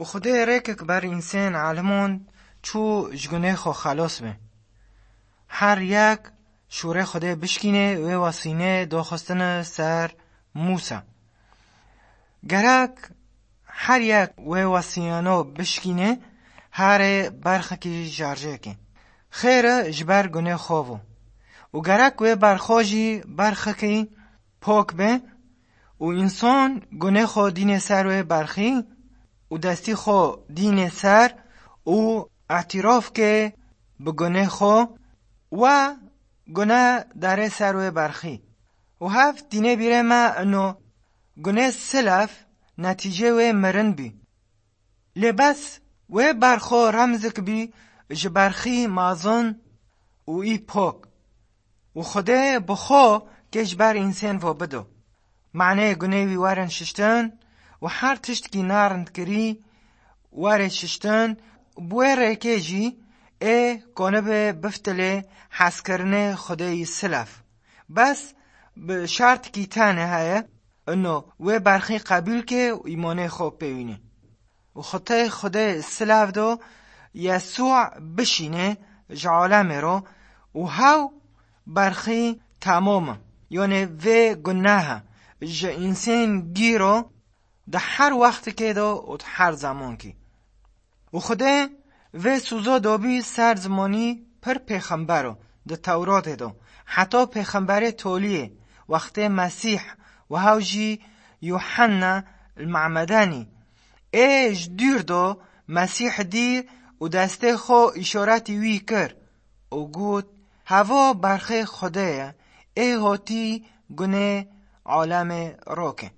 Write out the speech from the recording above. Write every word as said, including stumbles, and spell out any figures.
Û Xwedê rêkek ber însên elimand çû ji gunê xwe xelos be. Her yek şûrê Xwedê bişkîne wê wesîne doxistine ser Mûsa. Gerek her yek wê wesîyano bişkîne herê berxekî jarjêkê. Xêre ji ber gunê xwe bû. Û gerek wê berxo jî berxekî pok be û însan gunê xwe dîne ser wê berxî û destî xwe dîne ser û îtîraf ke bi gunê xwe we gune dare ser wê berxî. Û hev tîne bîrê me ino gune silef netîcê wê mirin bî. Lê bes wê berxo remzik bî ji berxî mazin û î pok. Û Xwedê bi xwe kê ji ber însên vo bido. Manê gunê wî werin şiştin û her tiştkî narindkirî were şiştin, bi wê rêkê jî ê konibe biftilê hezkirinê Xwedê yî silef. Bes bi şertikî tene heye, ino wê berxî qebîl ke û îmanê xwe pêwîne. Û xitê Xwedê silav do Yesû bişîne ji alemê ro û hew berxî temam e. Yonê vê gunehe ji însên gîro di her wextikê de û di her zemankî. Û Xwedê vê sûzo dobî ser zimanî pir pêxembero di Tewratê de, heta pêxemberê toliyê, wextê Mesîh û hew jî Yuhanna el Mamedanî. Ê ji dûr do Mesîh dî û destê xwe îşaretî wî kir û got, "Heva berxê Xwedê ye, ê hotî gunê alemê roke."